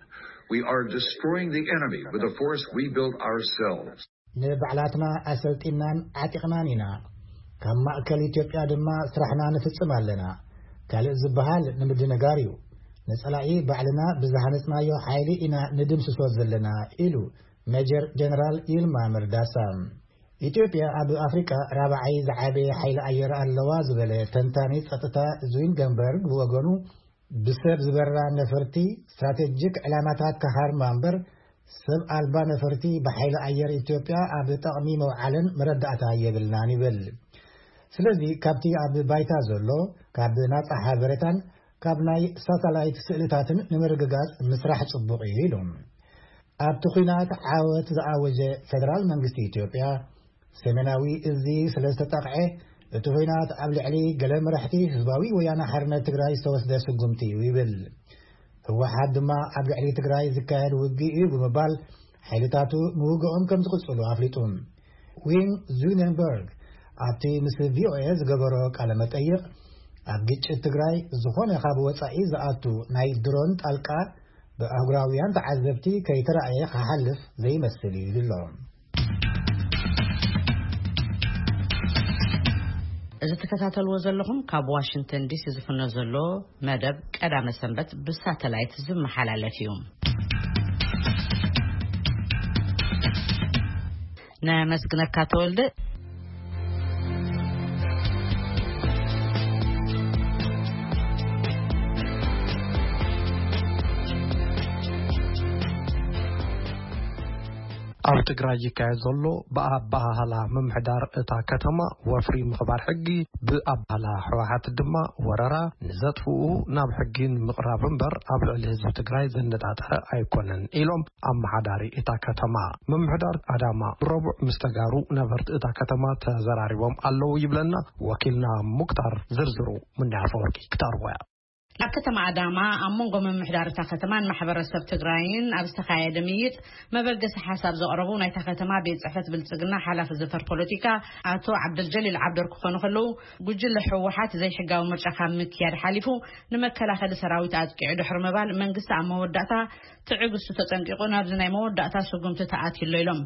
We are destroying the enemy with a force we built ourselves. ንባዕላትና ኣሰልጢናን ዓጢቕናን ኢና። ካብ ማእከል ኢትዮጵያ ድማ ስራሕና ንፍጽም ኣለና። ካልእ ዝበሃል ንምድንጋር እዩ። ንጸላኢ ባዕልና ብዝሃነጽናዮ ሓይሊ ኢና ንድምስሶ ዘለና፣ ኢሉ ሜጀር ጀነራል ይልማ መርዳሳ። ኢትዮጵያ ኣብ ኣፍሪቃ ራብዓይ ዝዓበየ ሓይሊ ኣየር ኣለዋ ዝበለ ተንታኒ ጸጥታ ዙይንገንበርግ ብወገኑ፣ ብሰብ ዝበራ ነፈርቲ፣ ስትራቴጂክ ዕላማታት ክሃርማ እምበር፣ ሰብ ኣልባ ነፈርቲ ብሓይሊ ኣየር ኢትዮጵያ ኣብ ጠቕሚ መውዓለን መረዳእታ የብልናን ይብል። ስለዚ ካብቲ ኣብ ባይታ ዘሎ፣ ካብ ናጻ ሓበሬታን ካብ ናይ ሳተላይት ስእልታትን ንምርግጋጽ ምስራሕ ጽቡቕ እዩ ኢሉ። ኣብቲ ኲናት ዓወት ዝኣወጀ ፌደራል መንግስቲ ኢትዮጵያ፣ ሰሜናዊ እዚ ስለ ዝተጠቕዐ፣ እቲ ኲናት ኣብ ልዕሊ ገለ መራሕቲ ህዝባዊ ወያነ ሓርነት ትግራይ ዝተወስደ ስጉምቲ እዩ ይብል። ህወሓት ድማ ኣብ ልዕሊ ትግራይ ዝካየድ ውግእ እዩ ብምባል፣ ሓይልታቱ ምውግኦም ከም ዝቕጽሉ ኣፍሊጡ። ዊን ዙነንበርግ ኣብቲ ምስ ቪኦኤ ዝገበሮ ቃለ መጠይቕ፣ ኣብ ግጭት ትግራይ ዝኾነ ካብ ወጻኢ ዝኣቱ ናይ ድሮን ጣልቃ ብኣህጉራውያን ተዓዘብቲ ከይተራእየ ክሓልፍ ዘይመስል እዩ ዝብሎ። እዚ ትከታተልዎ ዘለኹም ካብ ዋሽንግተን ዲሲ ዝፍኖ ዘሎ መደብ ቀዳመ ሰንበት ብሳተላይት ዝመሓላለፍ እዩ። ነመስግነካ ተወልደ። ኣብ ትግራይ ይካየድ ዘሎ ብኣባሃህላ ምምሕዳር እታ ከተማ ወፍሪ ምኽባር ሕጊ፣ ብኣባህላ ህወሓት ድማ ወረራ፣ ንዘጥፍኡ ናብ ሕጊ ንምቕራብ እምበር ኣብ ልዕሊ ህዝቢ ትግራይ ዘነጣጠረ ኣይኮነን ኢሎም ኣመሓዳሪ እታ ከተማ። ምምሕዳር ኣዳማ ብረቡዕ ምስ ተጋሩ ነበርቲ እታ ከተማ ተዘራሪቦም ኣለዉ ይብለና ወኪልና ሙክታር። ዝርዝሩ ምንዳይ ኣፈወርቂ ክተቕርቦ እያ። ኣብ ከተማ ኣዳማ ኣብ መንጎ ምምሕዳር እታ ከተማን ማሕበረሰብ ትግራይን ኣብ ዝተኻየደ ምይይጥ፣ መበገሲ ሓሳብ ዘቕረቡ ናይታ ከተማ ቤት ጽሕፈት ብልጽግና ሓላፊ ዘፈር ፖለቲካ ኣቶ ዓብደልጀሊል ዓብደር ክኾኑ ከለዉ፣ ጉጅለ ህወሓት ዘይሕጋዊ ምርጫ ካብ ምክያድ ሓሊፉ ንመከላኸሊ ሰራዊት ኣጥቂዑ ድሕሪ ምባል፣ መንግስቲ ኣብ መወዳእታ ትዕግስቱ ተጸንቂቑ ናብዚ ናይ መወዳእታ ስጉምቲ ተኣትዩ ኣሎ ኢሎም።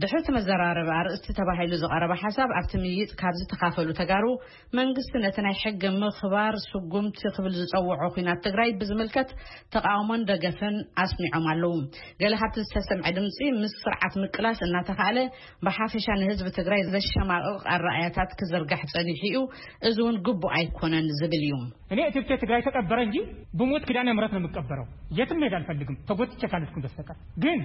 ድሕሪ እቲ መዘራረቢ ኣርእስቲ ተባሂሉ ዝቐረበ ሓሳብ፣ ኣብቲ ምይይጥ ካብ ዝተኻፈሉ ተጋሩ፣ መንግስቲ ነቲ ናይ ሕጊ ምኽባር ስጉምቲ ክብል ዝጸውዖ ኲናት ትግራይ ብዝምልከት ተቓውሞን ደገፍን ኣስሚዖም ኣለዉ። ገለ ካብቲ ዝተሰምዐ ድምጺ፣ ምስ ስርዓት ምቅላስ እናተኻእለ ብሓፈሻ ንህዝቢ ትግራይ ዘሸማቕቕ ኣረኣእያታት ክዝርጋሕ ጸኒሑ እዩ፣ እዚ እውን ግቡእ ኣይኮነን ዝብል እዩ። እኔ እትብቴ ትግራይ ተቀበረ እንጂ ብሞት ኪዳነ ምሕረት ነው የምቀበረው። የትም መሄድ አልፈልግም ተጎትቼ ካልሄድኩ በስተቀር። ግን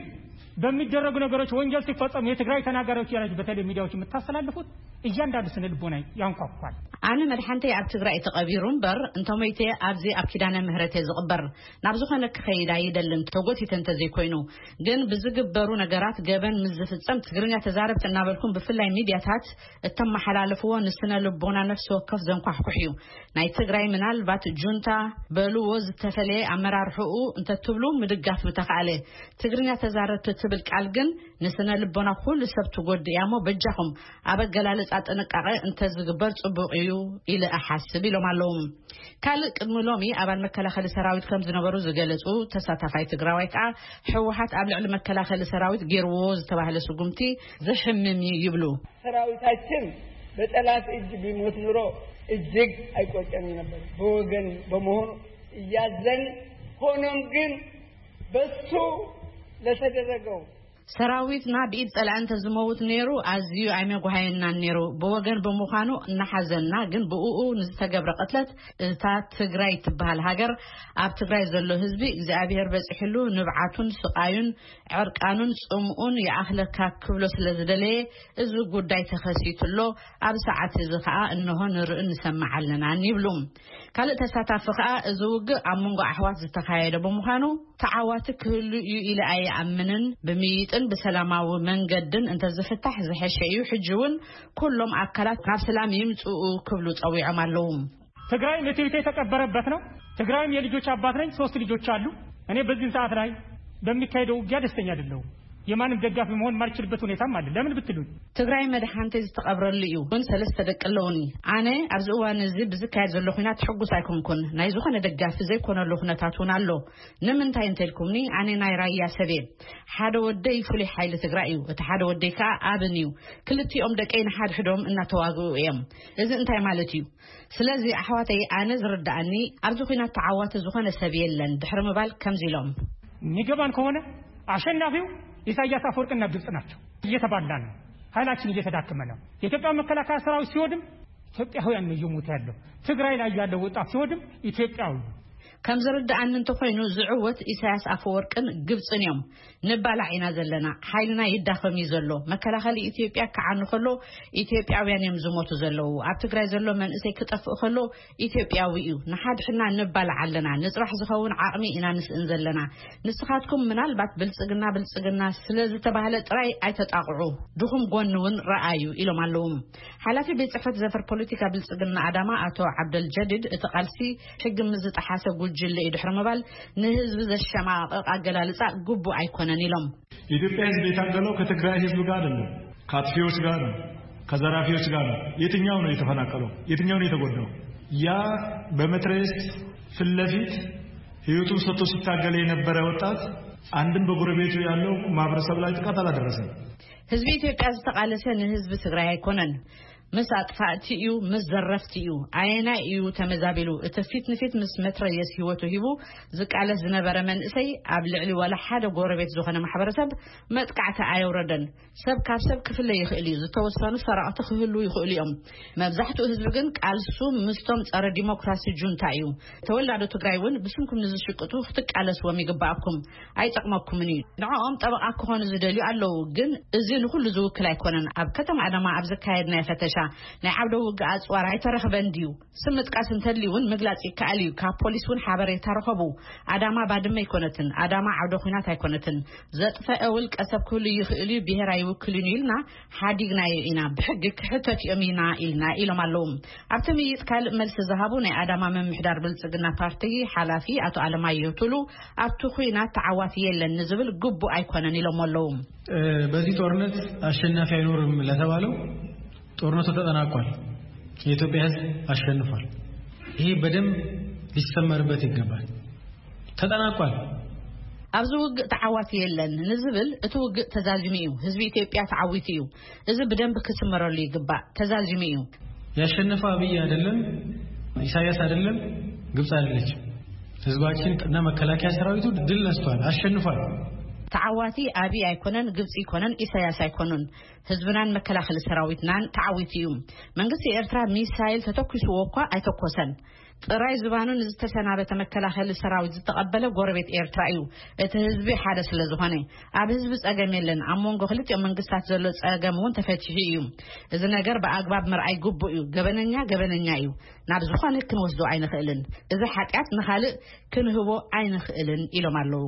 በሚደረጉ ነገሮች ወንጀል ሲፈጸሙ የትግራይ ተናጋሪዎች እያላችሁ በተለይ ሚዲያዎች የምታስተላልፉት እያንዳንዱ ስነ ልቦና ያንኳኳል። ኣነ መድሓንተይ ኣብ ትግራይ ተቐቢሩ እምበር እንተሞይተ ኣብዚ ኣብ ኪዳነ ምህረት እየ ዝቕበር። ናብ ዝኾነ ክኸይድ ኣይደልን ተጎቲተ እንተዘይኮይኑ። ግን ብዝግበሩ ነገራት ገበን ምስ ዝፍጸም ትግርኛ ተዛረብቲ እናበልኩም ብፍላይ ሚድያታት እተመሓላለፍዎ ንስነ ልቦና ነፍሲ ወከፍ ዘንኳሕኩሕ እዩ። ናይ ትግራይ ምናልባት ጁንታ በልዎ ዝተፈለየ ኣመራርሕኡ እንተትብሉ ምድጋፍ ምተኻእለ። ትግርኛ ተዛረብቲ ትብል ቃል ግን ንስነ ልቦና ኩሉ ሰብ ትጎድእ እያ እሞ በጃኹም ኣብ ኣገላልጻ ጥንቃቐ እንተዝግበር ጽቡቕ እዩ ኢለ እሓስብ ኢሎም ኣለዉ። ካልእ ቅድሚ ሎሚ ኣባል መከላኸሊ ሰራዊት ከም ዝነበሩ ዝገለጹ ተሳታፋይ ትግራዋይ ከኣ ህወሓት ኣብ ልዕሊ መከላኸሊ ሰራዊት ገይርዎ ዝተባህለ ስጉምቲ ዘሕምም እዩ ይብሉ። ሰራዊታችን በጠላት እጅ ቢሞት ኑሮ እጅግ አይቆጨም ነበር። በወገን በመሆኑ እያዘን፣ ሆኖም ግን በሱ ለተደረገው ሰራዊትና ብኢድ ጸላኢ እንተዝመውት ነይሩ ኣዝዩ ኣይመጓሃየናን ነይሩ። ብወገን ብምዃኑ እናሓዘንና ግን ብእኡ ንዝተገብረ ቅትለት እታ ትግራይ ትበሃል ሃገር ኣብ ትግራይ ዘሎ ህዝቢ እግዚኣብሔር በፂሕሉ ንብዓቱን ስቓዩን ዕርቃኑን ጽምኡን ይኣኽለካ ክብሎ ስለ ዝደለየ እዚ ጉዳይ ተኸሲቱ ኣሎ። ኣብ ሰዓት እዚ ኸኣ እንሆ ንርእን ንሰምዕ ኣለናን ይብሉ። ካልእ ተሳታፊ ኸኣ እዚ ውግእ ኣብ መንጎ ኣሕዋት ዝተኻየደ ብምዃኑ ተዓዋቲ ክህሉ እዩ ኢለ ኣይኣምንን። ብምይጥን ብሰላማዊ መንገድን እንተዝፍታሕ ዝሐሸ እዩ። ሕጂ እውን ኩሎም ኣካላት ናብ ሰላም ይምፅኡ ክብሉ ፀዊዖም ኣለዉ። ትግራይ ምትሪት የተቀበረበት ነው። ትግራይም የልጆች አባት ነኝ። ሶስት ልጆች አሉ። እኔ በዚህም ሰዓት ላይ በሚካሄደው ውጊያ ደስተኛ አይደለሁም። የማንም ደጋፊ መሆን የማልችልበት ሁኔታም አለ። ለምን ብትሉኝ ትግራይ መድሓንተይ ዝተቐብረሉ እዩ። እውን ሰለስተ ደቂ ኣለውኒ። ኣነ ኣብዚ እዋን እዚ ብዝካየድ ዘሎ ኩናት ሕጉስ ኣይኮንኩን። ናይ ዝኾነ ደጋፊ ዘይኮነሉ ኩነታት እውን ኣሎ። ንምንታይ እንተልኩምኒ ኣነ ናይ ራያ ሰብየ። ሓደ ወደይ ፍሉይ ሓይሊ ትግራይ እዩ። እቲ ሓደ ወደይ ከዓ ኣብን እዩ። ክልቲኦም ደቀይ ንሓድሕዶም እናተዋግኡ እዮም። እዚ እንታይ ማለት እዩ? ስለዚ ኣሕዋተይ ኣነ ዝርድኣኒ ኣብዚ ኩናት ተዓዋቲ ዝኾነ ሰብ የለን ድሕሪ ምባል ከምዚ ኢሎም። የሚገባን ከሆነ አሸናፊው ኢሳያስ አፈወርቅና ግብጽ ናቸው። እየተባላን ነው። ኃይላችን እየተዳከመ ነው። የኢትዮጵያ መከላከያ ሰራዊት ሲወድም ኢትዮጵያውያን ነው እየሞተ ያለው። ትግራይ ላይ ያለው ወጣት ሲወድም ኢትዮጵያዊ ነው። ከም ዝርድኣኒ እንተኾይኑ ዝዕወት ኢሳያስ ኣፈወርቅን ግብጽን እዮም። ንባላዕ ኢና ዘለና። ሓይልና ይዳኸም እዩ ዘሎ። መከላኸሊ ኢትዮጵያ ክዓኑ ከሎ ኢትዮጵያውያን እዮም ዝሞቱ ዘለዉ። ኣብ ትግራይ ዘሎ መንእሰይ ክጠፍእ ከሎ ኢትዮጵያዊ እዩ። ንሓድሕድና ንባላዕ ኣለና። ንፅባሕ ዝኸውን ዓቕሚ ኢና ንስእን ዘለና። ንስኻትኩም ምናልባት ብልፅግና ብልፅግና ስለ ዝተባህለ ጥራይ ኣይተጣቕዑ። ድኹም ጎኒ እውን ረኣዩ ኢሎም ኣለዉ። ሓላፊ ቤት ፅሕፈት ዘፈር ፖለቲካ ብልፅግና ኣዳማ ኣቶ ዓብደል ጀዲድ እቲ ቃልሲ ሕጊ ምስ ዝጠሓሰ ጉጅለ እዩ ድሕሪ ምባል ንህዝቢ ዘሸማቕቕ ኣገላልፃ ግቡእ ኣይኮነን ኢሎም። የኢትዮጵያ ህዝብ የታገለው ከትግራይ ህዝብ ጋር አይደለም፣ ከአጥፊዎች ጋር ነው፣ ከዘራፊዎች ጋር ነው። የትኛው ነው የተፈናቀለው? የትኛው ነው የተጎዳው? ያ በመትረየስ ፊት ለፊት ህይወቱን ሰጥቶ ሲታገል የነበረ ወጣት አንድም በጎረቤቱ ያለው ማህበረሰብ ላይ ጥቃት አላደረሰም። ህዝቢ ኢትዮጵያ ዝተቓለሰ ንህዝቢ ትግራይ ኣይኮነን። ምስ ኣጥፋእቲ እዩ፣ ምስ ዘረፍቲ እዩ። ኣየናይ እዩ ተመዛቢሉ? እቲ ፊት ንፊት ምስ መትረየስ ህይወቱ ሂቡ ዝቃለስ ዝነበረ መንእሰይ ኣብ ልዕሊ ዋላ ሓደ ጎረቤት ዝኾነ ማሕበረሰብ መጥቃዕቲ ኣየውረደን። ሰብ ካብ ሰብ ክፍለ ይኽእል እዩ። ዝተወሰኑ ሰረቕቲ ክህሉ ይኽእሉ እዮም። መብዛሕትኡ ህዝቢ ግን ቃልሱ ምስቶም ጸረ ዲሞክራሲ ጁንታ እዩ። ተወላዶ ትግራይ እውን ብስምኩም ንዝሽቅጡ ክትቃለስዎም ይግባኣኩም። ኣይጠቕመኩምን እዩ። ንዕኦም ጠበቓ ክኾኑ ዝደልዩ ኣለዉ፣ ግን እዚ ንኹሉ ዝውክል ኣይኮነን። ኣብ ከተማ ኣዳማ ኣብ ዘካየድናዮ ፈተሻ ናይ ዓውደ ውግእ ኣጽዋር ኣይተረኽበን ድዩ? ስም ምጥቃስ እንተድልዩ እውን ምግላጽ ይከኣል እዩ። ካብ ፖሊስ እውን ሓበሬታ ረኸቡ። ኣዳማ ባድመ ኣይኮነትን። ኣዳማ ዓውደ ኲናት ኣይኮነትን። ዘጥፈአ ውልቀ ሰብ ክህሉ ይኽእል እዩ፣ ብሄር ኣይውክልን እዩ ኢልና ሓዲግናዮ ኢና። ብሕጊ ክሕተት እዮም ኢና ኢልና ኢሎም ኣለዉ። ኣብቲ ምይይጥ ካልእ መልሲ ዝሃቡ ናይ ኣዳማ ምምሕዳር ብልጽግና ፓርቲ ሓላፊ ኣቶ ኣለማየሁ ቱሉ ኣብቲ ኹናት ተዓዋቲ የለን ንዝብል ግቡእ ኣይኮነን ኢሎም ኣለዉ። በዚህ ጦርነት አሸናፊ አይኖርም ለተባለው ጦርነቱ ተጠናቋል። የኢትዮጵያ ሕዝብ አሸንፏል። ይሄ በደንብ ሊሰመርበት ይገባል። ተጠናቋል። ኣብዚ ውግእ ተዓዋቲ የለን ንዝብል እቲ ውግእ ተዛዚሙ እዩ። ህዝቢ ኢትዮጵያ ተዓዊቱ እዩ። እዚ ብደንብ ክስመረሉ ይግባእ። ተዛዚሙ እዩ። ያሸነፈው አብይ አይደለም፣ ኢሳያስ አይደለም፣ ግብጽ አይደለችም። ህዝባችን እና መከላከያ ሰራዊቱ ድል ነስቷል፣ አሸንፏል። ተዓዋቲ ኣብይ ኣይኮነን፣ ግብፂ ኣይኮነን፣ ኢሳያስ ኣይኮኑን። ህዝብናን መከላኸሊ ሰራዊትናን ተዓዊቱ እዩ። መንግስቲ ኤርትራ ሚሳይል ተተኩስዎ እኳ ኣይተኮሰን። ጥራይ ዝባኑ ንዝተሰናበተ መከላኸሊ ሰራዊት ዝተቐበለ ጎረቤት ኤርትራ እዩ። እቲ ህዝቢ ሓደ ስለ ዝኾነ፣ ኣብ ህዝቢ ጸገም የለን። ኣብ መንጎ ክልቲኦም መንግስታት ዘሎ ጸገም እውን ተፈቲሑ እዩ። እዚ ነገር ብኣግባብ ምርኣይ ግቡእ እዩ። ገበነኛ ገበነኛ እዩ። ናብ ዝኾነ ክንወስዶ ኣይንኽእልን። እዚ ሓጢኣት ንኻልእ ክንህቦ ኣይንኽእልን ኢሎም ኣለዉ።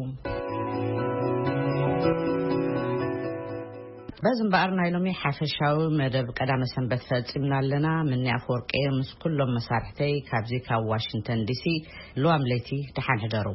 በዚ እምበኣር ናይ ሎሚ ሓፈሻዊ መደብ ቀዳመ ሰንበት ፈጺምና ኣለና። ምኒ ኣፈወርቂ ምስ ኩሎም መሳርሕተይ ካብዚ ካብ ዋሽንግተን ዲሲ፣ ልዋም ለይቲ ደሓን ሕደሩ።